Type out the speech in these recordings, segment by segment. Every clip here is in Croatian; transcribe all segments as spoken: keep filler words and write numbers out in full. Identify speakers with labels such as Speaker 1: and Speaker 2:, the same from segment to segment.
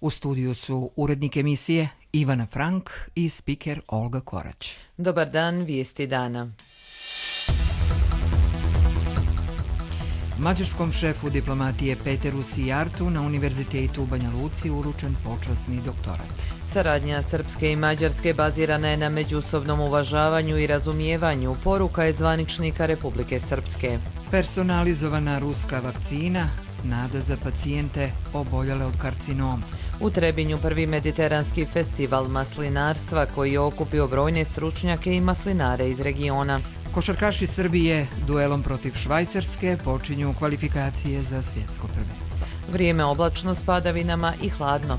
Speaker 1: U studiju su urednik emisije Ivana Frank i spiker Olga Korać.
Speaker 2: Dobar dan, vijesti dana.
Speaker 1: Mađarskom šefu diplomatije Peteru Sijartu na Univerzitetu u Banja Luci uručen počasni doktorat.
Speaker 2: Saradnja Srpske i Mađarske bazirana je na međusobnom uvažavanju i razumijevanju, poruka je zvaničnika Republike Srpske.
Speaker 1: Personalizovana ruska vakcina, nada za pacijente oboljele od karcinoma.
Speaker 2: U Trebinju prvi mediteranski festival maslinarstva koji je okupio brojne stručnjake i maslinare iz regiona.
Speaker 1: Košarkaši Srbije duelom protiv Švajcarske počinju kvalifikacije za svjetsko prvenstvo.
Speaker 2: Vrijeme oblačno s padavinama i hladno.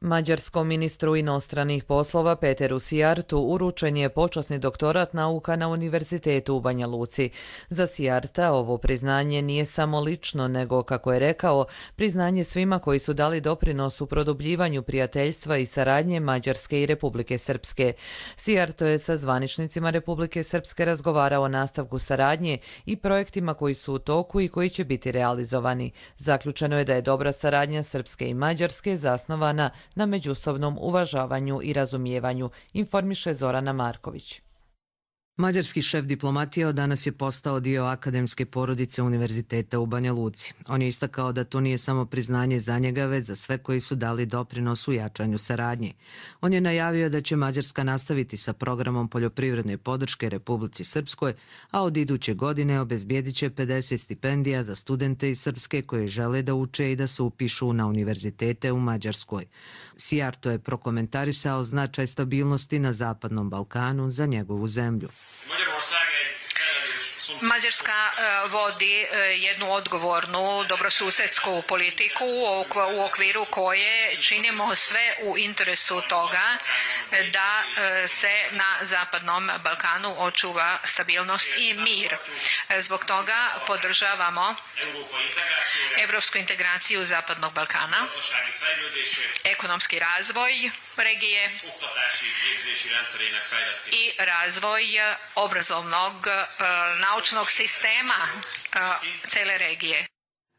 Speaker 2: Mađarskom ministru inostranih poslova Peteru Sijartu uručen je počasni doktorat nauka na Univerzitetu u Banja Luci. Za Sijarta ovo priznanje nije samo lično, nego, kako je rekao, priznanje svima koji su dali doprinos u produbljivanju prijateljstva i saradnje Mađarske i Republike Srpske. Sijarto je sa zvaničnicima Republike Srpske razgovarao o nastavku saradnje i projektima koji su u toku i koji će biti realizovani. Zaključeno je da je dobra saradnja Srpske i Mađarske zasnovana na međusobnom uvažavanju i razumijevanju, informiše Zorana Marković.
Speaker 3: Mađarski šef diplomatije od danas je postao dio akademske porodice Univerziteta u Banja Luci. On je istakao da to nije samo priznanje za njega, već za sve koji su dali doprinos u jačanju saradnje. On je najavio da će Mađarska nastaviti sa programom poljoprivredne podrške Republici Srpskoj, a od iduće godine obezbijedit će pedeset stipendija za studente iz Srpske koji žele da uče i da se upišu na univerzitete u Mađarskoj. Sijarto je prokomentarisao značaj stabilnosti na Zapadnom Balkanu za njegovu zemlju.
Speaker 4: Mađarska vodi jednu odgovornu dobrosusedsku politiku u okviru koje činimo sve u interesu toga da se na Zapadnom Balkanu očuva stabilnost i mir. Zbog toga podržavamo evropsku integraciju Zapadnog Balkana, ekonomski razvoj regije i razvoj obrazovnog naučnog sistema cele regije.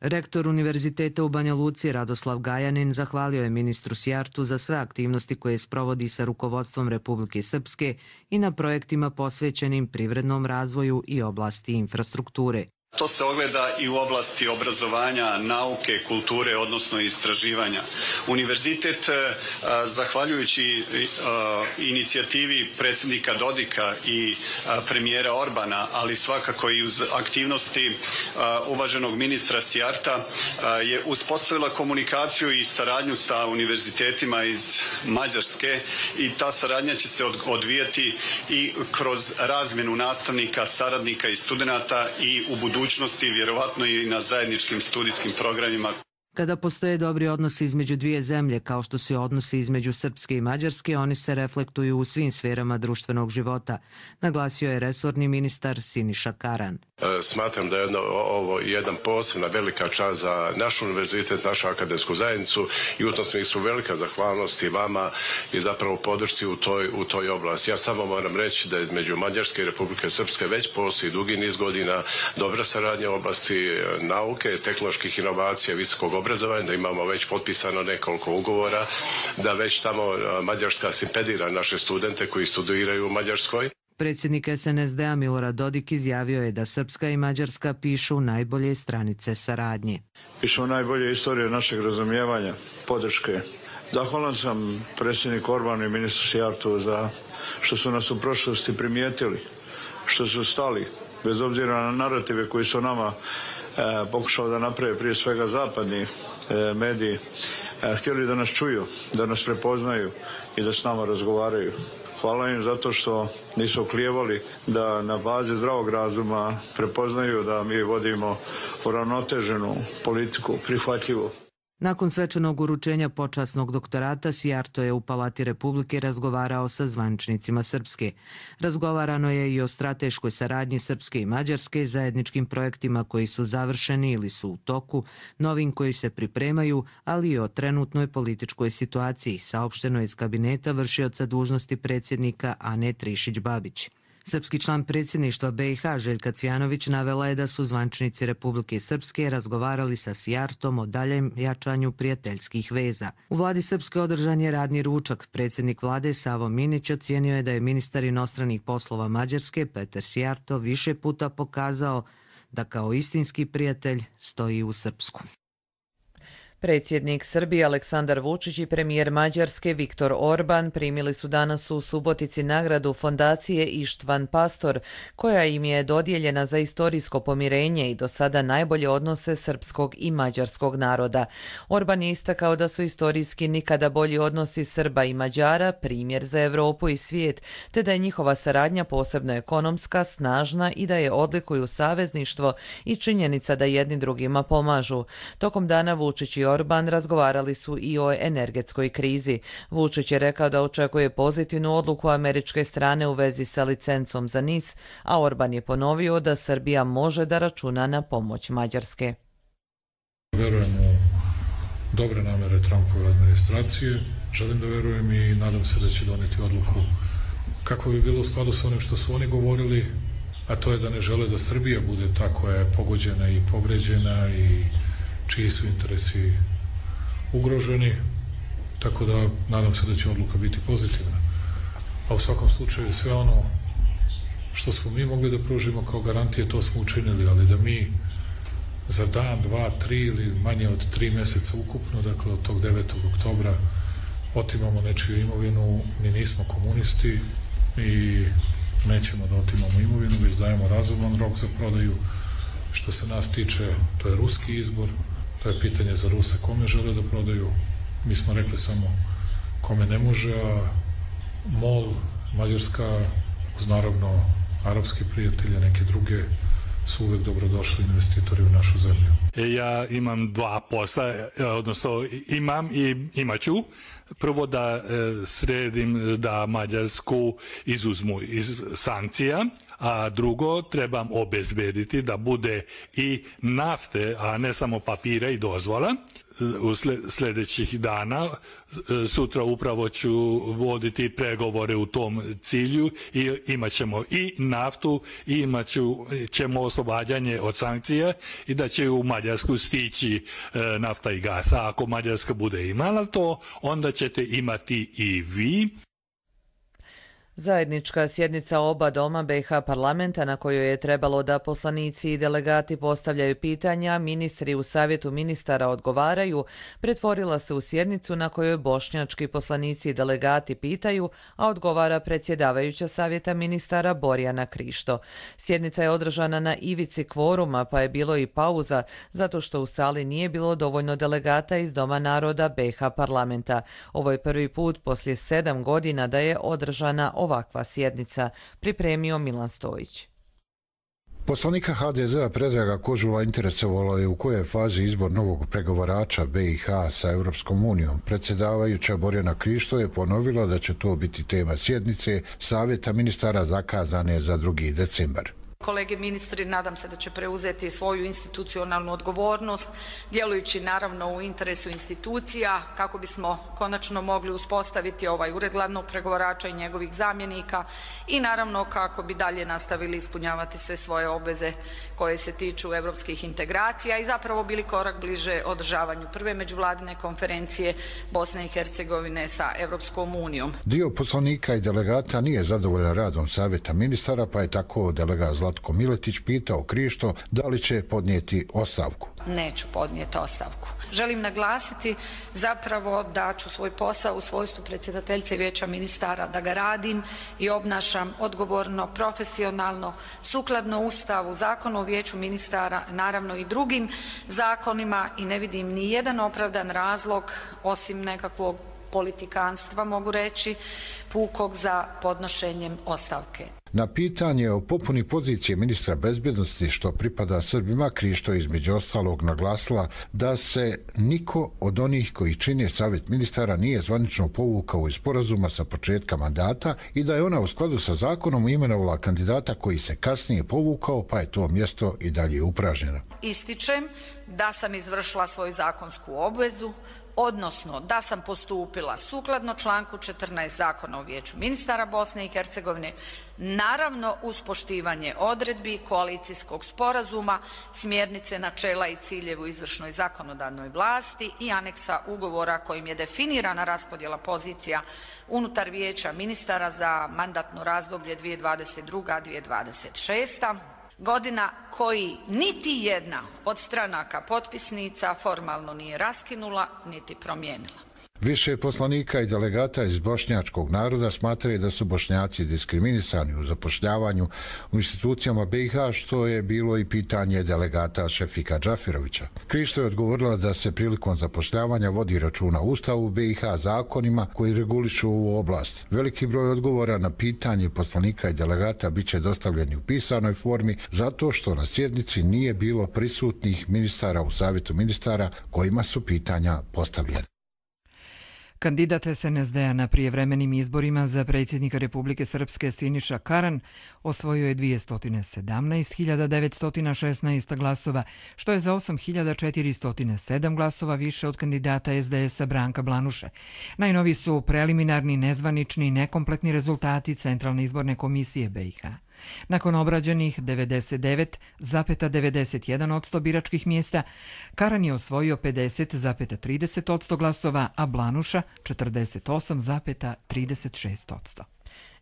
Speaker 3: Rektor Univerziteta u Banja Luci Radoslav Gajanin zahvalio je ministru Sijartu za sve aktivnosti koje sprovodi sa rukovodstvom Republike Srpske i na projektima posvećenim privrednom razvoju i oblasti infrastrukture.
Speaker 5: To se ogleda i u oblasti obrazovanja, nauke, kulture, odnosno istraživanja. Univerzitet, zahvaljujući inicijativi predsjednika Dodika i premijera Orbana, ali svakako i uz aktivnosti uvaženog ministra Sijarta, je uspostavila komunikaciju i saradnju sa univerzitetima iz Mađarske i ta saradnja će se odvijati i kroz razmjenu nastavnika, saradnika i studenata i u budućnosti vjerovatno i na zajedničkim studijskim programima.
Speaker 3: Kada postoje dobri odnosi između dvije zemlje, kao što se odnosi između Srpske i Mađarske, oni se reflektuju u svim sferama društvenog života, naglasio je resorni ministar Siniša Karan.
Speaker 6: Smatram da je jedno, ovo jedna posebna velika čast za naš univerzitet, našu akademsku zajednicu i u tom smislu velika zahvalnost i vama i zapravo podršci u toj, u toj oblasti. Ja samo moram reći da između Mađarske i Republike Srpske već postoji dugi niz godina dobra saradnja u oblasti nauke, tehnoloških inovacija, visokog obrazovanja, da imamo već potpisano nekoliko ugovora, da već tamo Mađarska stipendira naše studente koji studiraju u Mađarskoj.
Speaker 3: Predsjednik S N S D-a Milorad Dodik izjavio je da Srpska i Mađarska pišu najbolje stranice saradnje.
Speaker 7: Pišemo najbolje istorije našeg razumijevanja, podrške. Zahvalan sam predsjedniku Orbanu i ministru Sijartu za što su nas u prošlosti primijetili, što su stali, bez obzira na narative koji su nama e, pokušali da naprave prije svega zapadni e, mediji, e, htjeli da nas čuju, da nas prepoznaju i da s nama razgovaraju. Hvala im zato što nisu oklijevali da na bazi zdravog razuma prepoznaju da mi vodimo uravnoteženu politiku, prihvatljivu.
Speaker 3: Nakon svečanog uručenja počasnog doktorata, Sijarto je u Palati Republike razgovarao sa zvaničnicima Srpske. Razgovarano je i o strateškoj saradnji Srpske i Mađarske, zajedničkim projektima koji su završeni ili su u toku, novim koji se pripremaju, ali i o trenutnoj političkoj situaciji, saopšteno iz kabineta vršioca dužnosti predsjednika Ane Trišić-Babić. Srpski član predsjedništva B i H Željka Cvijanović navela je da su zvančnici Republike Srpske razgovarali sa Sijartom o daljem jačanju prijateljskih veza. U vladi Srpske održan je radni ručak. Predsjednik vlade Savo Minić ocijenio je da je ministar inostranih poslova Mađarske Peter Sijarto više puta pokazao da kao istinski prijatelj stoji u Srpsku.
Speaker 2: Predsjednik Srbije Aleksandar Vučić i premijer Mađarske Viktor Orban primili su danas u Subotici nagradu fondacije Ištvan Pastor, koja im je dodijeljena za istorijsko pomirenje i do sada najbolje odnose srpskog i mađarskog naroda. Orban je istakao da su istorijski nikada bolji odnosi Srba i Mađara primjer za Evropu i svijet, te da je njihova saradnja posebno ekonomska, snažna i da je odlikuju savezništvo i činjenica da jedni drugima pomažu. Tokom dana Vučić i Orban razgovarali su i o energetskoj krizi. Vučić je rekao da očekuje pozitivnu odluku američke strane u vezi sa licencom za N I S, a Orban je ponovio da Srbija može da računa na pomoć Mađarske.
Speaker 8: Verujem u dobre namere Trumpove administracije, želim da verujem i nadam se da će doneti odluku kako bi bilo u skladu sa onim što su oni govorili, a to je da ne žele da Srbija bude ta koja je pogođena i povređena i čiji su interesi ugroženi, tako da nadam se da će odluka biti pozitivna. A u svakom slučaju sve ono što smo mi mogli da pružimo kao garantije, to smo učinili, ali da mi za dan, dva, tri ili manje od tri meseca ukupno, dakle od tog devetog oktobra, otimamo nečiju imovinu, mi nismo komunisti i nećemo da otimamo imovinu, već dajemo razuman rok za prodaju. Što se nas tiče, to je ruski izbor, to je pitanje za Rusa kome žele da prodaju. Mi smo rekli samo kome ne može, a MOL, Mađarska, uz naravno arapski prijatelje, neke druge, su uvek dobrodošli investitori u našu zemlju.
Speaker 9: Ja imam dva posla, odnosno imam i imaću. Prvo da sredim da Mađarsku izuzmu iz sankcija, a drugo trebam obezbediti da bude i nafte, a ne samo papira i dozvola. U sljedećih dana, sutra upravo ću voditi pregovore u tom cilju i imat ćemo i naftu i imat ćemo oslobađanje od sankcija i da će u Mađarsku stići nafta i gas. A ako Mađarska bude imala to, onda ćete imati i vi.
Speaker 2: Zajednička sjednica oba doma B i H parlamenta na kojoj je trebalo da poslanici i delegati postavljaju pitanja, ministri u savjetu ministara odgovaraju, pretvorila se u sjednicu na kojoj bošnjački poslanici i delegati pitaju, a odgovara predsjedavajuća savjeta ministara Borjana Krišto. Sjednica je održana na ivici kvoruma, pa je bilo i pauza, zato što u sali nije bilo dovoljno delegata iz Doma naroda B i H parlamenta. Ovo je prvi put poslije sedam godina da je održana ovakva sjednica, pripremio Milan Stojić.
Speaker 10: Poslanika H D Z-a Predraga Kožula interesovalo je u kojoj fazi izbor novog pregovarača B i H sa Europskom unijom. Predsjedavajuća Borjana Krišto je ponovila da će to biti tema sjednice Savjeta ministara zakazane za drugi decembar.
Speaker 11: Kolege ministri, nadam se da će preuzeti svoju institucionalnu odgovornost, djelujući naravno u interesu institucija, kako bismo konačno mogli uspostaviti ovaj ured glavnog pregovarača i njegovih zamjenika i naravno kako bi dalje nastavili ispunjavati sve svoje obveze koje se tiču evropskih integracija i zapravo bili korak bliže održavanju prve međuvladine konferencije Bosne i Hercegovine sa Evropskom unijom.
Speaker 10: Dio poslanika i delegata nije zadovoljan radom Savjeta ministara, pa je tako delegat Zlatko Miletić pitao Krišto da li će podnijeti ostavku.
Speaker 11: Neću podnijeti ostavku. Želim naglasiti zapravo da ću svoj posao u svojstvu predsjedateljice Vijeća ministara da ga radim i obnašam odgovorno, profesionalno, sukladno Ustavu, Zakonu o Vijeću ministara, naravno i drugim zakonima i ne vidim ni jedan opravdan razlog osim nekakvog politikanstva, mogu reći, pukog za podnošenjem ostavke.
Speaker 10: Na pitanje o popuni pozicije ministra bezbjednosti što pripada Srbima, Krišto između ostalog naglasila da se niko od onih koji čine Savjet ministara nije zvanično povukao iz sporazuma sa početka mandata i da je ona u skladu sa zakonom imenovala kandidata koji se kasnije povukao, pa je to mjesto i dalje upražnjeno.
Speaker 11: Ističem da sam izvršila svoju zakonsku obvezu, odnosno da sam postupila sukladno članku četrnaest Zakona o Vijeću ministara Bosne i Hercegovine, naravno uz poštivanje odredbi koalicijskog sporazuma, smjernice, načela i ciljevi u izvršnoj zakonodavnoj vlasti i aneksa ugovora kojim je definirana raspodjela pozicija unutar Vijeća ministara za mandatno razdoblje dvije tisuće dvadeset druga do dvije tisuće dvadeset šesta. Godina koji niti jedna od stranaka potpisnica formalno nije raskinula niti promijenila.
Speaker 10: Više poslanika i delegata iz bošnjačkog naroda smatraju da su Bošnjaci diskriminisani u zapošljavanju u institucijama B i H, što je bilo i pitanje delegata Šefika Džafirovića. Krišto je odgovorila da se prilikom zapošljavanja vodi računa Ustavu B i H zakonima koji regulišu ovu oblast. Veliki broj odgovora na pitanje poslanika i delegata bit će dostavljeni u pisanoj formi zato što na sjednici nije bilo prisutnih ministara u Savjetu ministara kojima su pitanja postavljena.
Speaker 1: Kandidat S N S D-a na prijevremenim izborima za predsjednika Republike Srpske Siniša Karan osvojio je dvjesto sedamnaest hiljada devetsto šesnaest glasova, što je za osam hiljada četiristo sedam glasova više od kandidata S D S-a Branka Blanuše. Najnoviji su preliminarni, nezvanični i nekompletni rezultati Centralne izborne komisije B i H. Nakon obrađenih devedeset devet zarez devedeset jedan posto biračkih mjesta, Karan je osvojio pedeset zarez trideset posto glasova, a Blanuša četrdeset osam zarez trideset šest posto.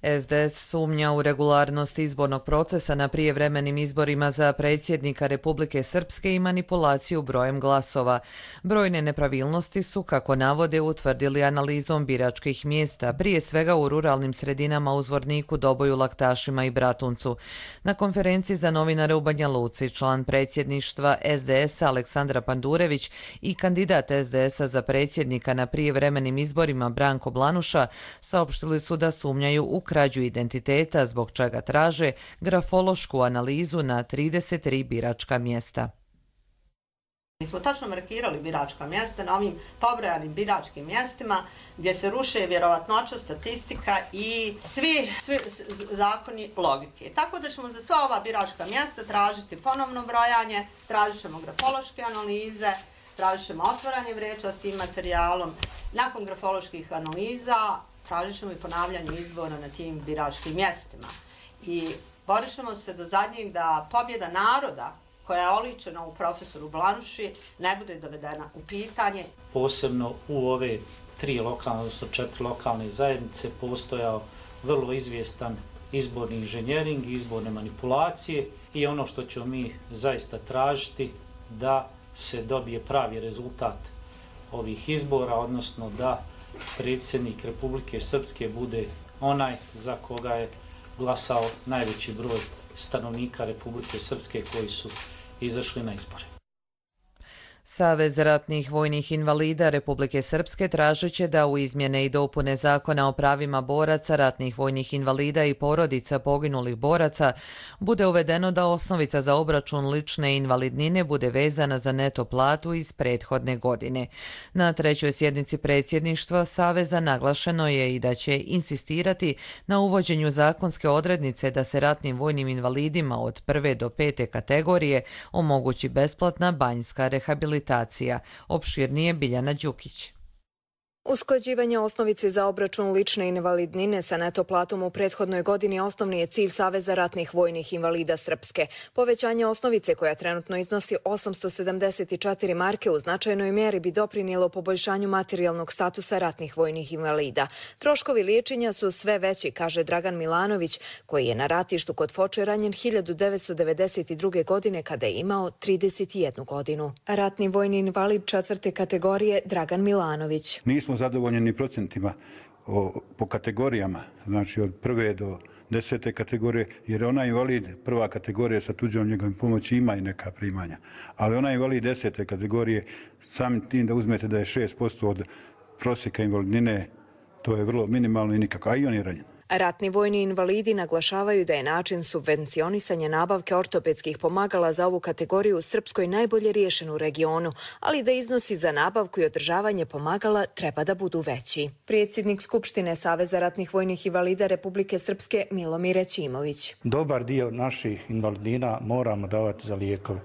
Speaker 2: S D S sumnja u regularnost izbornog procesa na prijevremenim izborima za predsjednika Republike Srpske i manipulaciju brojem glasova. Brojne nepravilnosti su, kako navode, utvrdili analizom biračkih mjesta, prije svega u ruralnim sredinama u Zvorniku, Doboju, Laktašima i Bratuncu. Na konferenciji za novinare u Banja Luci član predsjedništva S D S-a Aleksandra Pandurević i kandidat S D S-a za predsjednika na prijevremenim izborima Branko Blanuša saopštili su da sumnjaju u krađu identiteta, zbog čega traže grafološku analizu na trideset tri biračka mjesta.
Speaker 12: Mi smo tačno markirali biračka mjesta na ovim pobrojanim biračkim mjestima gdje se ruše vjerovatnoća, statistika i svi, svi zakoni logike. Tako da ćemo za sva ova biračka mjesta tražiti ponovno brojanje, tražit ćemo grafološke analize, tražit ćemo otvaranje vreća s tim materijalom. Nakon grafoloških analiza tražit ćemo i ponavljanje izbora na tim biračkim mjestima. I borit ćemo se do zadnjeg da pobjeda naroda koja je oličena u profesoru Blanuši ne bude dovedena u pitanje.
Speaker 13: Posebno u ove tri lokalne, odnosno četiri lokalne zajednice postojao vrlo izvjestan izborni inženjering, izborne manipulacije i ono što ćemo mi zaista tražiti da se dobije pravi rezultat ovih izbora, odnosno da predsjednik Republike Srpske bude onaj za koga je glasao najveći broj stanovnika Republike Srpske koji su izašli na izbore.
Speaker 2: Savez ratnih vojnih invalida Republike Srpske tražit će da u izmjene i dopune Zakona o pravima boraca, ratnih vojnih invalida i porodica poginulih boraca bude uvedeno da osnovica za obračun lične invalidnine bude vezana za neto platu iz prethodne godine. Na trećoj sjednici predsjedništva Saveza naglašeno je i da će insistirati na uvođenju zakonske odrednice da se ratnim vojnim invalidima od prve do pete kategorije omogući besplatna banjska rehabilitacija. Opširnije Biljana Đukić.
Speaker 14: Usklađivanje osnovice za obračun lične invalidnine sa neto platom u prethodnoj godini osnovni je cilj Saveza ratnih vojnih invalida Srpske. Povećanje osnovice koja trenutno iznosi osamsto sedamdeset četiri marke u značajnoj mjeri bi doprinijelo poboljšanju materijalnog statusa ratnih vojnih invalida. Troškovi liječenja su sve veći, kaže Dragan Milanović, koji je na ratištu kod Foče ranjen hiljadu devetsto devedeset druge. godine kada je imao trideset jednu godinu. Ratni vojni invalid četvrte kategorije Dragan Milanović.
Speaker 15: Nismo zadovoljni ni procentima o, po kategorijama, znači od prve do desete kategorije, jer onaj invalid prva kategorija sa tuđom njegovim pomoći ima i neka primanja. Ali onaj invalid desete kategorije, samim tim da uzmete da je šest posto od prosjeka invalidnine, to je vrlo minimalno i nikako, a i on je ranjen.
Speaker 14: Ratni vojni invalidi naglašavaju da je način subvencionisanja nabavke ortopedskih pomagala za ovu kategoriju u Srpskoj najbolje riješen u regionu, ali da iznosi za nabavku i održavanje pomagala treba da budu veći. Predsjednik Skupštine Saveza ratnih vojnih invalida Republike Srpske Milomir Ćimović.
Speaker 16: Dobar dio naših invalidina moramo davati za lijekove.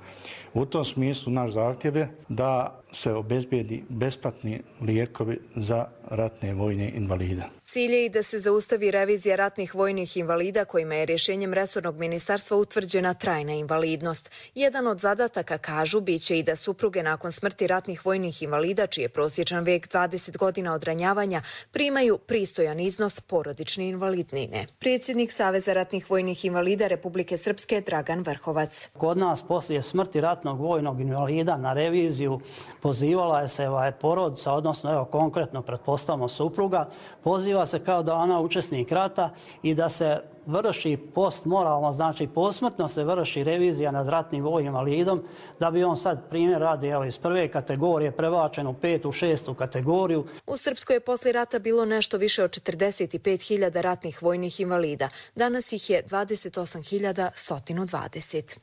Speaker 16: U tom smislu naš zahtjev je da se obezbijedi besplatni lijekovi za ratne vojne invalide.
Speaker 14: Cilj je i da se zaustavi revizija ratnih vojnih invalida kojima je rješenjem resornog ministarstva utvrđena trajna invalidnost. Jedan od zadataka, kažu, biće i da supruge nakon smrti ratnih vojnih invalida, čiji je prosječan vek dvadeset godina od ranjavanja, primaju pristojan iznos porodične invalidnine. Predsjednik Saveza ratnih vojnih invalida Republike Srpske Dragan Vrhovac.
Speaker 17: Kod nas poslije smrti ratnog vojnog invalida na reviziju pozivala je se ovaj porodica, odnosno evo konkretno pretpostavimo supruga, poziva se kao da ona učesnik rata i da se vrši postmoralno, znači posmrtno se vrši revizija nad ratnim vojnim invalidom, da bi on sad primjer radi evo, iz prve kategorije prebačen u petu, šestu kategoriju.
Speaker 14: U Srpskoj je poslije rata bilo nešto više od četrdeset pet hiljada ratnih vojnih invalida. Danas ih je dvadeset osam hiljada sto dvadeset.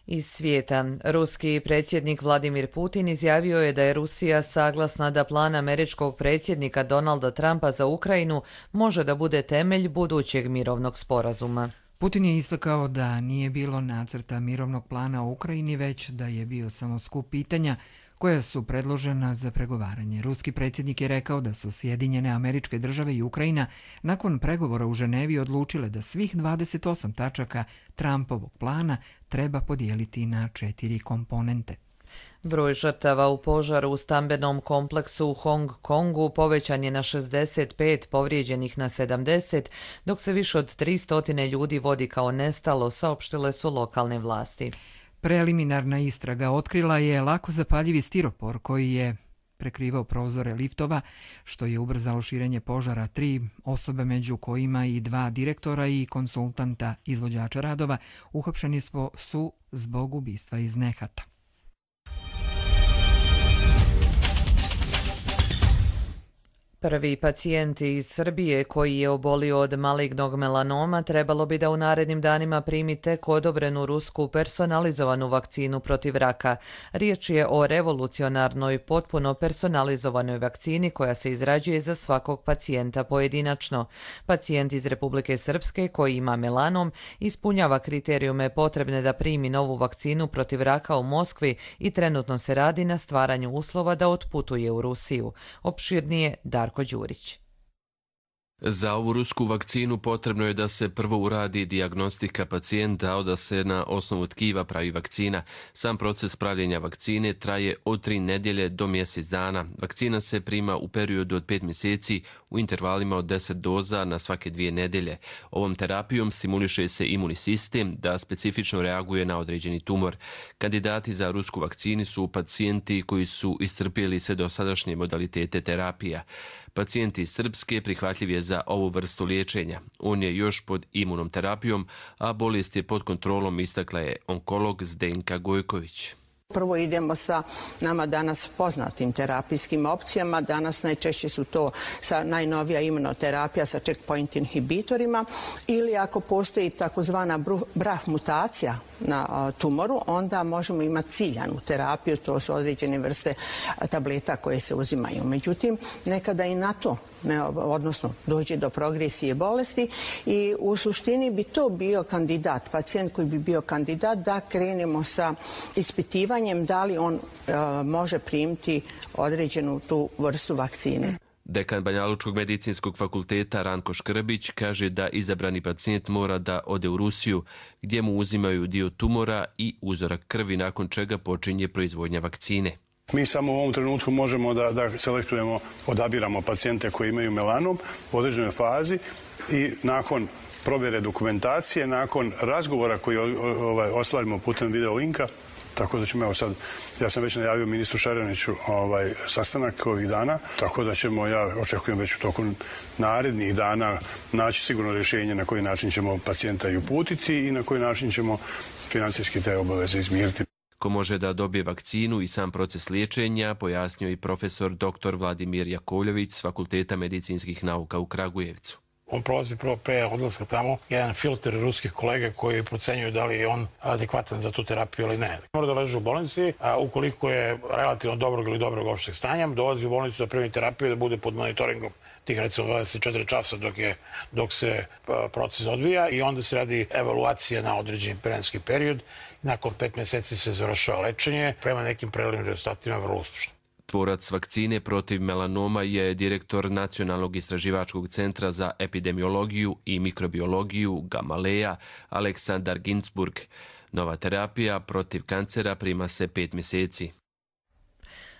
Speaker 2: Iz svijeta, ruski predsjednik Vladimir Putin izjavio je da je Rusija saglasna da plan američkog predsjednika Donalda Trumpa za Ukrajinu može da bude temelj budućeg mirovnog sporazuma.
Speaker 1: Putin je istakao da nije bilo nacrta mirovnog plana u Ukrajini, već da je bio samo skup pitanja koja su predložena za pregovaranje. Ruski predsjednik je rekao da su Sjedinjene Američke Države i Ukrajina nakon pregovora u Ženevi odlučile da svih dvadeset osam tačaka Trumpovog plana treba podijeliti na četiri komponente.
Speaker 2: Broj žrtava u požaru u stambenom kompleksu u Hong Kongu povećan je na šezdeset pet, povrijeđenih na sedamdeset, dok se više od tristo ljudi vodi kao nestalo, saopštile su lokalne vlasti.
Speaker 1: Preliminarna istraga otkrila je lako zapaljivi stiropor koji je prekrivao prozore liftova, što je ubrzalo širenje požara. Tri osobe, među kojima i dva direktora i konsultanta izvođača radova, uhapšeni su zbog ubistva iz nehata.
Speaker 2: Prvi pacijent iz Srbije koji je obolio od malignog melanoma trebalo bi da u narednim danima primi tek odobrenu rusku personalizovanu vakcinu protiv raka. Riječ je o revolucionarnoj, potpuno personalizovanoj vakcini koja se izrađuje za svakog pacijenta pojedinačno. Pacijent iz Republike Srpske koji ima melanom ispunjava kriterijume potrebne da primi novu vakcinu protiv raka u Moskvi i trenutno se radi na stvaranju uslova da otputuje u Rusiju. Opširnije Darko Đurić.
Speaker 18: Za ovu rusku vakcinu potrebno je da se prvo uradi dijagnostika pacijenta, a da se na osnovu tkiva pravi vakcina. Sam proces pravljenja vakcine traje od tri nedjelje do mjesec dana. Vakcina se prima u periodu od pet mjeseci u intervalima od deset doza na svake dvije nedjelje. Ovom terapijom stimuliše se imunni sistem da specifično reaguje na određeni tumor. Kandidati za rusku vakcinu su pacijenti koji su iscrpjeli sve dosadašnje modalitete terapija. Pacijenti iz Srpske prihvatljiv je za ovu vrstu liječenja. On je još pod imunom terapijom, a bolest je pod kontrolom, istakla je onkolog Zdenka Gojković.
Speaker 19: Prvo idemo sa nama danas poznatim terapijskim opcijama. Danas najčešće su to sa najnovija imunoterapija sa checkpoint inhibitorima ili ako postoji takozvana B R A F mutacija na tumoru, onda možemo imati ciljanu terapiju, to su određene vrste tableta koje se uzimaju. Međutim, nekada i na to, ne, odnosno dođe do progresije bolesti i u suštini bi to bio kandidat, pacijent koji bi bio kandidat da krenemo sa ispitivanjem da li on e, može primiti određenu tu vrstu vakcine.
Speaker 18: Dekan Banjalučkog medicinskog fakulteta Ranko Škrbić kaže da izabrani pacijent mora da ode u Rusiju, gdje mu uzimaju dio tumora i uzorak krvi, nakon čega počinje proizvodnja vakcine.
Speaker 20: Mi samo u ovom trenutku možemo da, da selektujemo, odabiramo pacijente koji imaju melanom u određenoj fazi i nakon provjere dokumentacije, nakon razgovora koji ovaj, ostvarimo putem video linka, tako da ćemo, evo sad, ja sam već najavio ministru Šareniću ovaj, sastanak ovih dana, tako da ćemo, ja očekujem već u toku narednih dana naći sigurno rješenje na koji način ćemo pacijenta i uputiti i na koji način ćemo financijski te obaveze izmiriti.
Speaker 18: Ko može da dobije vakcinu i sam proces liječenja, pojasnio i profesor doktor Vladimir Jakovljević s Fakulteta medicinskih nauka u Kragujevcu.
Speaker 21: On prolazi prvo pre odlaska tamo jedan filter ruskih kolega koji procenjuju da li je on adekvatan za tu terapiju ili ne. Mora da leže u bolnici, a ukoliko je relativno dobrog ili dobrog opšteg stanja, dolazi u bolnicu da primi terapiju da bude pod monitoringom tih recimo dvadeset četiri časa dok, je, dok se proces odvija i onda se radi evaluacija na određeni vremenski period. Nakon pet meseci se završava lečenje, prema nekim preliminarnim rezultatima vrlo uspešno.
Speaker 18: Tvorac vakcine protiv melanoma je direktor Nacionalnog istraživačkog centra za epidemiologiju i mikrobiologiju Gamaleja Aleksandar Ginzburg. Nova terapija protiv kancera prima se pet mjeseci.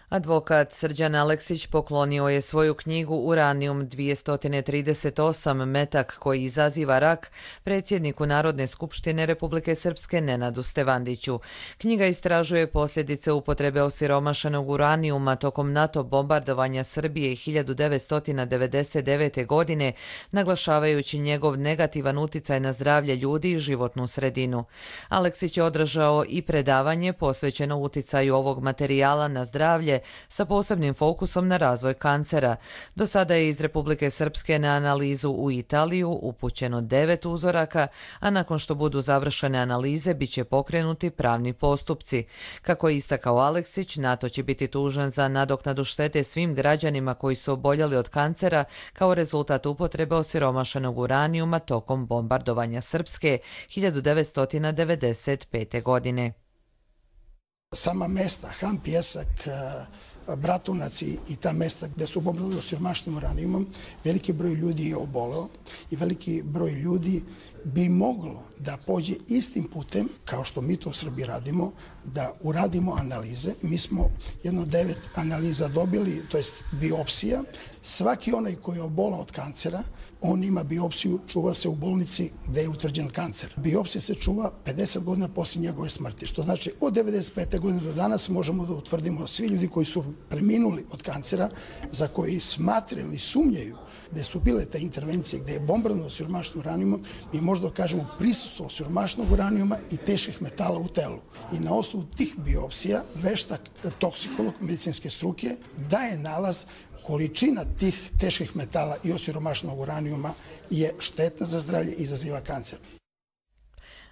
Speaker 2: Advokat Srđan Aleksić poklonio je svoju knjigu Uranijum dvjesto trideset osam metak koji izaziva rak predsjedniku Narodne skupštine Republike Srpske Nenadu Stevandiću. Knjiga istražuje posljedice upotrebe osiromašenog uranijuma tokom NATO bombardovanja Srbije hiljadu devetsto devedeset devete. godine, naglašavajući njegov negativan uticaj na zdravlje ljudi i životnu sredinu. Aleksić je održao i predavanje posvećeno uticaju ovog materijala na zdravlje sa posebnim fokusom na razvoj kancera. Do sada je iz Republike Srpske na analizu u Italiju upućeno devet uzoraka, a nakon što budu završene analize bit će pokrenuti pravni postupci. Kako je istakao Aleksić, NATO će biti tužan za nadoknadu štete svim građanima koji su oboljeli od kancera kao rezultat upotrebe osiromašenog uranijuma tokom bombardovanja Srpske hiljadu devetsto devedeset pete. godine.
Speaker 22: Sama mesta, Han, Pjesak, Bratunac i ta mesta gde su bombardovali osiromašenim uranijumom, veliki broj ljudi je oboleo i veliki broj ljudi bi moglo da pođe istim putem, kao što mi to u Srbiji radimo, da uradimo analize. Mi smo jedno devet analiza dobili, to jest biopsija. Svaki onaj koji je obolao od kancera, on ima biopsiju, čuva se u bolnici gde je utvrđen kancer. Biopsija se čuva pedeset godina poslije njegove smrti, što znači od devedeset pete. godine do danas možemo da utvrdimo svi ljudi koji su preminuli od kancera, za koji smatraju ili sumnjaju gde su bile te intervencije, gde je bombardovano osiromašenim uranijumom, mi možda kažemo prisustvo osiromašenog uranijuma i teških metala u telu. I na osnovu tih biopsija veštak toksikolog medicinske struke daje nalaz količina tih teških metala i osiromašenog uranijuma je štetna za zdravlje i izaziva kancer.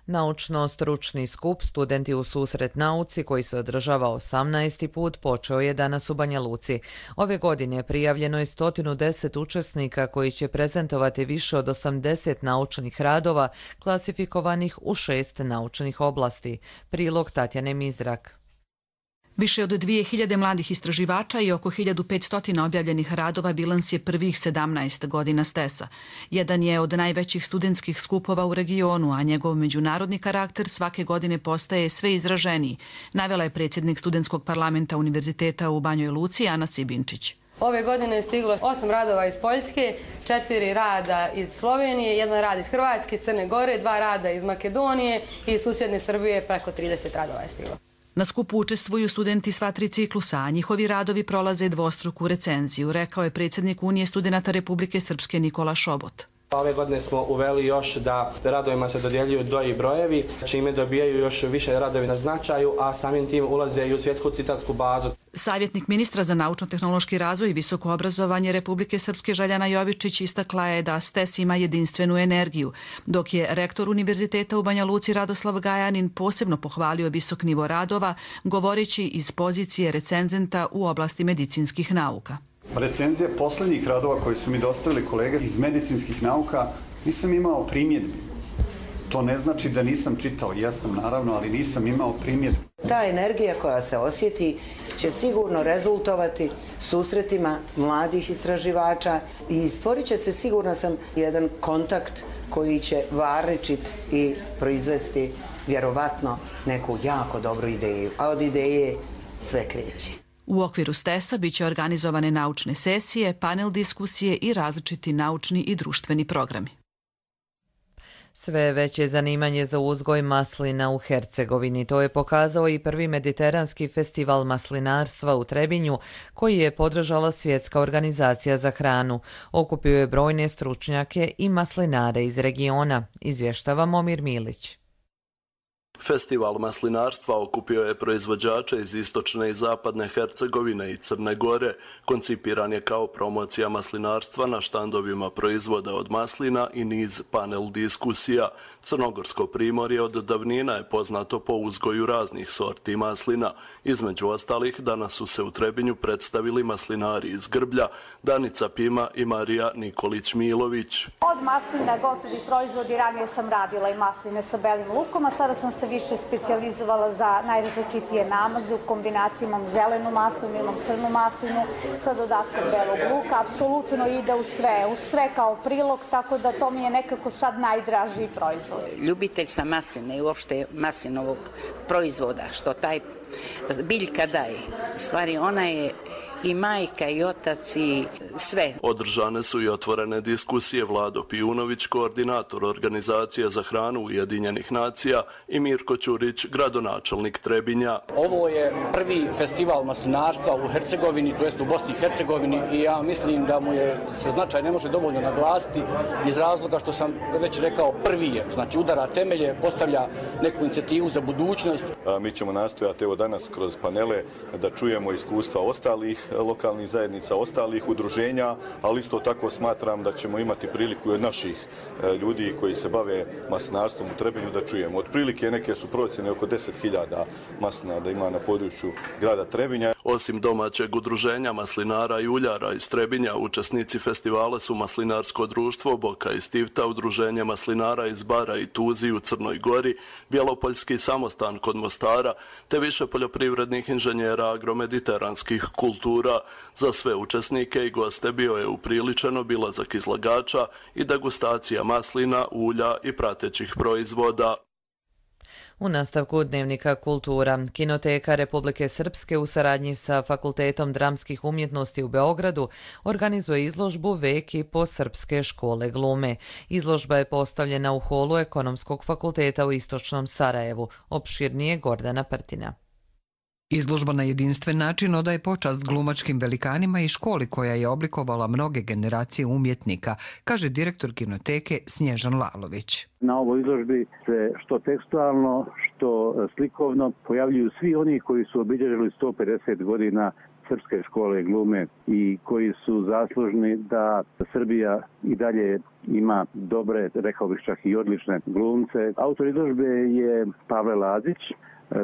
Speaker 2: Naučno-stručni skup Studenti u susret nauci, koji se održava osamnaesti put, počeo je danas u Banja Luci. Ove godine prijavljeno je sto deset učesnika koji će prezentovati više od osamdeset naučnih radova klasifikovanih u šest naučnih oblasti. Prilog Tatjane Mizrak.
Speaker 23: Više od dvije hiljade mladih istraživača i oko hiljadu petsto objavljenih radova bilans je prvih sedamnaest godina Stesa. Jedan je od najvećih studentskih skupova u regionu, a njegov međunarodni karakter svake godine postaje sve izraženiji, navela je predsjednik studentskog parlamenta Univerziteta u Banjoj Luci Ana Sibinčić.
Speaker 24: Ove godine je stiglo osam radova iz Poljske, četiri rada iz Slovenije, jedan rad iz Hrvatske, Crne Gore, dva rada iz Makedonije i susjedne Srbije, preko trideset radova je stiglo.
Speaker 23: Na skupu učestvuju studenti sva tri ciklusa, a njihovi radovi prolaze dvostruku recenziju, rekao je predsjednik Unije studenata Republike Srpske Nikola Šobot.
Speaker 25: Ove godine smo uveli još da radovima se dodjeljuju doji brojevi, čime dobijaju još više radovi na značaju, a samim tim ulaze i u svjetsku citatsku bazu.
Speaker 23: Savjetnik ministra za naučno-tehnološki razvoj i visoko obrazovanje Republike Srpske Željana Jovičić istakla je da Stes ima jedinstvenu energiju, dok je rektor Univerziteta u Banja Luci Radoslav Gajanin posebno pohvalio visok nivo radova, govoreći iz pozicije recenzenta u oblasti medicinskih nauka.
Speaker 26: Recenzije posljednjih radova koji su mi dostavili kolege iz medicinskih nauka nisam imao primjedbi. To ne znači da nisam čitao, jesam naravno, ali nisam imao primjedbi.
Speaker 27: Ta energija koja se osjeti će sigurno rezultovati susretima mladih istraživača i stvorit će se, sigurna sam, jedan kontakt koji će varničiti i proizvesti vjerovatno neku jako dobru ideju, a od ideje sve kreće.
Speaker 23: U okviru Stesa bit će organizovane naučne sesije, panel diskusije i različiti naučni i društveni programi.
Speaker 2: Sve veće zanimanje za uzgoj maslina u Hercegovini. To je pokazao i prvi mediteranski festival maslinarstva u Trebinju, koji je podržala Svjetska organizacija za hranu. Okupio je brojne stručnjake i maslinare iz regiona, izvještava Momir Milić.
Speaker 3: Festival maslinarstva okupio je proizvođače iz istočne i zapadne Hercegovine i Crne Gore. Koncipiran je kao promocija maslinarstva na štandovima proizvoda od maslina i niz panel diskusija. Crnogorsko primorje od davnina je poznato po uzgoju raznih sorti maslina. Između ostalih, danas su se u Trebinju predstavili maslinari iz Grblja, Danica Pima i Marija Nikolić-Milović.
Speaker 4: Od maslina gotovi proizvodi, ranije sam radila i masline sa belim lukom, a sada sam se više specijalizovala za najrazličitije namaze. U kombinaciji imam zelenu maslinu, imam crnu maslinu sa dodatkom belog luka. Apsolutno ide u sve, u sve kao prilog, tako da to mi je nekako sad najdražiji proizvod.
Speaker 5: Ljubitelj sam masline i uopšte maslinovog proizvoda, što taj biljka daje. U stvari ona je i majka i otac i sve.
Speaker 3: Održane su i otvorene diskusije. Vlado Pijunović, koordinator Organizacije za hranu Ujedinjenih nacija, i Mirko Ćurić, gradonačelnik Trebinja.
Speaker 6: Ovo je prvi festival maslinarstva u Hercegovini, to jest u Bosni i Hercegovini, i ja mislim da mu je značaj ne može dovoljno naglasiti iz razloga što sam već rekao prvi je. Znači udara temelje, postavlja neku inicijativu za budućnost.
Speaker 7: A mi ćemo nastojati evo danas kroz panele da čujemo iskustva ostalih lokalnih zajednica, ostalih udruženja, ali isto tako smatram da ćemo imati priliku i od naših ljudi koji se bave maslinarstvom u Trebinju da čujemo. Otprilike neke su procjene oko deset hiljada maslina da ima na području grada Trebinja.
Speaker 3: Osim domaćeg udruženja maslinara i uljara iz Trebinja, učesnici festivala su Maslinarsko društvo Boka i Stivta, udruženje maslinara iz Bara i Tuzi u Crnoj Gori, Bjelopoljski samostan kod Mostara, te više poljoprivrednih inženjera agromediteranskih kultura. Za sve učesnike i goste bio je upriličen obilazak izlagača i degustacija maslina, ulja i pratećih proizvoda.
Speaker 2: U nastavku Dnevnika kultura, Kinoteka Republike Srpske u saradnji sa Fakultetom dramskih umjetnosti u Beogradu organizuje izložbu Vek i po srpske škole glume. Izložba je postavljena u holu Ekonomskog fakulteta u Istočnom Sarajevu. Opširnije Gordana Prtina.
Speaker 8: Izložba na jedinstven način odaje počast glumačkim velikanima i školi koja je oblikovala mnoge generacije umjetnika, kaže direktor Kinoteke Snježan Lalović.
Speaker 9: Na ovoj izložbi se što tekstualno, što slikovno pojavljuju svi oni koji su obilježili sto pedeset godina srpske škole glume i koji su zaslužni da Srbija i dalje ima dobre, rekao bih čak i odlične glumce. Autor izložbe je Pavle Lazić,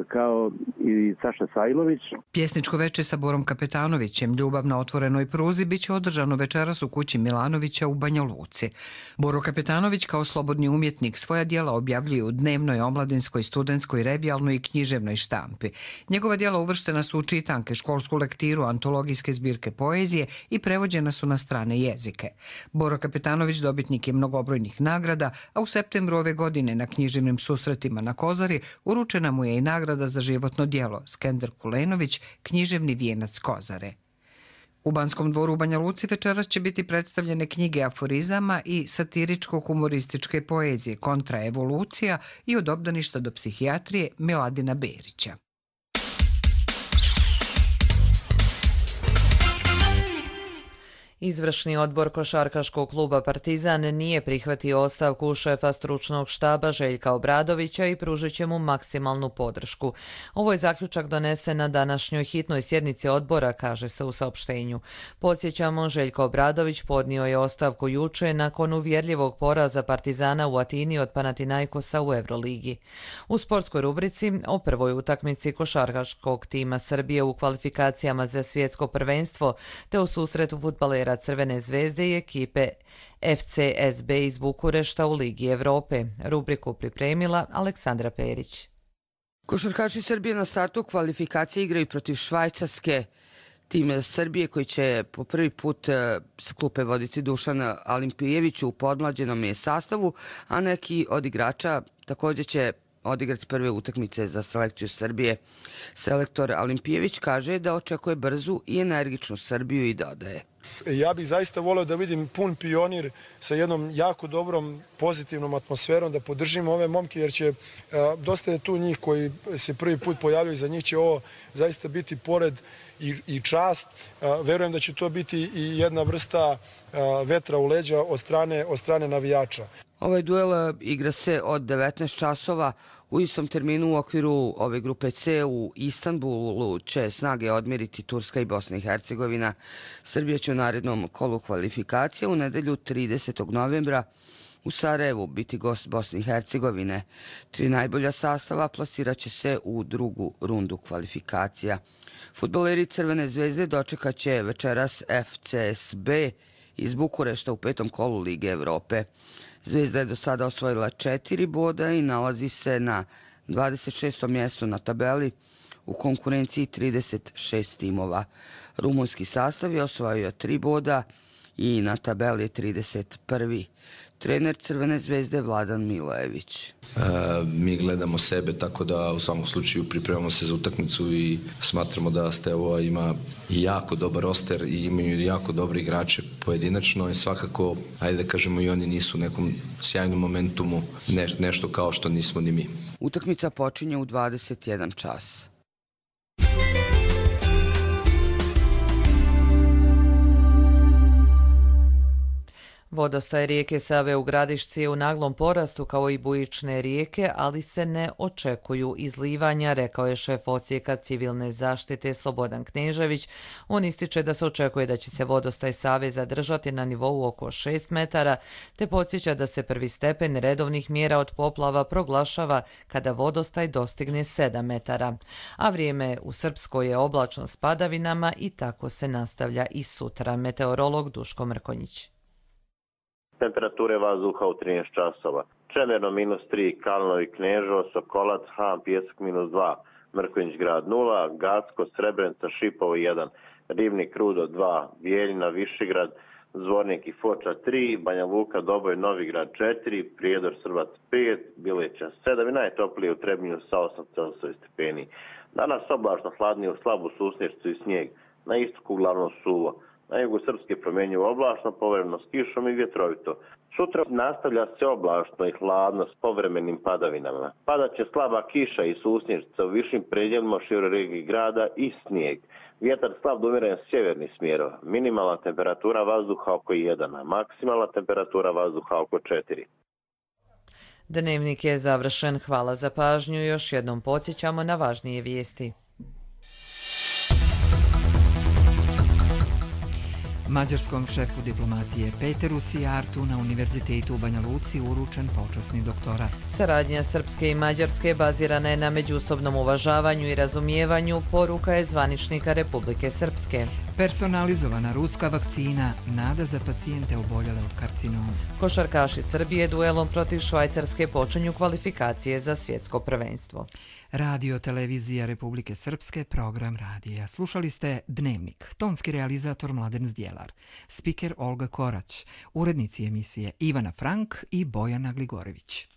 Speaker 9: kao i Saša Sajlović.
Speaker 8: Pjesničko veče sa Borom Kapetanovićem, Ljubav na otvorenoj pruzi, biće održano večeras u kući Milanovića u Banja Luci. Boro Kapetanović kao slobodni umjetnik svoja djela objavljuje u dnevnoj, omladinskoj, studentskoj, revijalnoj i književnoj štampi. Njegova djela uvrštena su u čitanke, školsku lektiru, antologijske zbirke poezije i prevođena su na strane jezike. Boro Kapetanović dobitnik je mnogobrojnih nagrada, a u septembru ove godine na književnim susretima na Kozari uručena mu je i nagrada za životno djelo Skender Kulenović, književni vijenac Kozare. U Banskom dvoru u Banja Luci večeras će biti predstavljene knjige aforizama i satiričko-humorističke poezije Kontraevolucija i Od obdaništa do psihijatrije Miladina Berića.
Speaker 2: Izvršni odbor košarkaškog kluba Partizan nije prihvatio ostavku šefa stručnog štaba Željka Obradovića i pružit će mu maksimalnu podršku. Ovo je zaključak donesen na današnjoj hitnoj sjednici odbora, kaže se u saopštenju. Podsjećamo, Željko Obradović podnio je ostavku juče nakon uvjerljivog poraza Partizana u Atini od Panathinaikosa u Euroligi. U sportskoj rubrici o prvoj utakmici košarkaškog tima Srbije u kvalifikacijama za svjetsko prvenstvo te o susretu fudbalera Crvene zvezde i ekipe F C S B iz Bukurešta u Ligi Evrope. Rubriku pripremila Aleksandra Perić.
Speaker 28: Košarkaši Srbije na startu kvalifikacije igraju protiv Švajcarske. Tim Srbije koji će po prvi put s klupe voditi Dušan Alimpijević u podmlađenom je sastavu, a neki od igrača također će odigrati prve utakmice za selekciju Srbije. Selektor Alimpijević kaže da očekuje brzu i energičnu Srbiju i dodaje.
Speaker 29: Ja bih zaista voleo da vidim pun Pionir sa jednom jako dobrom, pozitivnom atmosferom, da podržimo ove momke, jer će dosta je tu njih koji se prvi put pojavljaju, za njih će ovo zaista biti pored i, i čast. Verujem da će to biti i jedna vrsta vetra u leđa od strane, od strane navijača.
Speaker 28: Ovaj duel igra se od devetnaest časova. U istom terminu u okviru ove grupe C u Istanbulu će snage odmjeriti Turska i Bosna i Hercegovina. Srbija će u narednom kolu kvalifikacije u nedelju tridesetog novembra u Sarajevu biti gost Bosne i Hercegovine. Tri najbolja sastava plasirat će se u drugu rundu kvalifikacija. Fudbaleri Crvene zvezde dočekat će večeras F C S B iz Bukurešta u petom kolu Lige Evrope. Zvezda je do sada osvojila četiri boda i nalazi se na dvadeset šestom mjestu na tabeli u konkurenciji trideset šest timova. Rumunski sastav je osvojio tri boda i na tabeli je trideset prvi. Trener Crvene zvezde Vladan Milojević.
Speaker 1: E, mi gledamo sebe, tako da u svakom slučaju pripremamo se za utakmicu i smatramo da Steaua ima jako dobar roster i imaju jako dobre igrače pojedinačno i svakako, ajde da kažemo, i oni nisu u nekom sjajnom momentumu, ne, nešto kao što nismo ni mi.
Speaker 28: Utakmica počinje u dvadeset jedan čas.
Speaker 2: Vodostaj rijeke Save u Gradišci je u naglom porastu kao i bujične rijeke, ali se ne očekuju izlivanja, rekao je šef odsjeka civilne zaštite Slobodan Knežević. On ističe da se očekuje da će se vodostaj Save zadržati na nivou oko šest metara, te podsjeća da se prvi stepen redovnih mjera od poplava proglašava kada vodostaj dostigne sedam metara. A vrijeme u Srpskoj je oblačno s padavinama i tako se nastavlja i sutra. Meteorolog Duško Mrkonjić.
Speaker 10: Temperature vazduha u trinaest časova. Čemerno minus tri, Kalnovi, Kneževo, Sokolac, Han, Pjesak minus dva, Mrkonjić grad nula, Gacko, Srebrenica, Šipovo jedan, Ribnik, Rudo dva, Bijeljina, Višegrad, Zvornik i Foča tri, Banja Luka, Doboj, Novigrad četiri, Prijedor, Srbac pet, Bileća sedam i najtoplije u Trebinju sa osam stepeni. Danas oblačno, hladnije u slabu susnješću i snijeg, na istoku uglavnom suvo. Na jugu Srpske promjenjivo oblačno, povremeno s kišom i vjetrovito. Sutra nastavlja se oblačno i hladno s povremenim padavinama. Padat će slaba kiša i susnježica u višim predjelima u široj regiji grada i snijeg. Vjetar slab do umjeren sjeverni smjerov. Minimalna temperatura vazduha oko jedan, a maksimalna temperatura vazduha oko četiri.
Speaker 2: Dnevnik je završen. Hvala za pažnju. Još jednom podsjećamo na važnije vijesti.
Speaker 11: Mađarskom šefu diplomatije Peteru Sijartu na Univerzitetu u Banja Luci uručen počasni doktorat.
Speaker 2: Saradnja Srpske i Mađarske bazirana je na međusobnom uvažavanju i razumijevanju, poruka je zvaničnika Republike Srpske.
Speaker 11: Personalizovana ruska vakcina, nada za pacijente oboljele od karcinoma.
Speaker 2: Košarkaši Srbije duelom protiv Švajcarske počinju kvalifikacije za svjetsko prvenstvo.
Speaker 11: Radio Televizija Republike Srpske, program radija. Slušali ste Dnevnik, tonski realizator Mladen Zdjelar, spiker Olga Korać, urednici emisije Ivana Frank i Bojana Gligorević.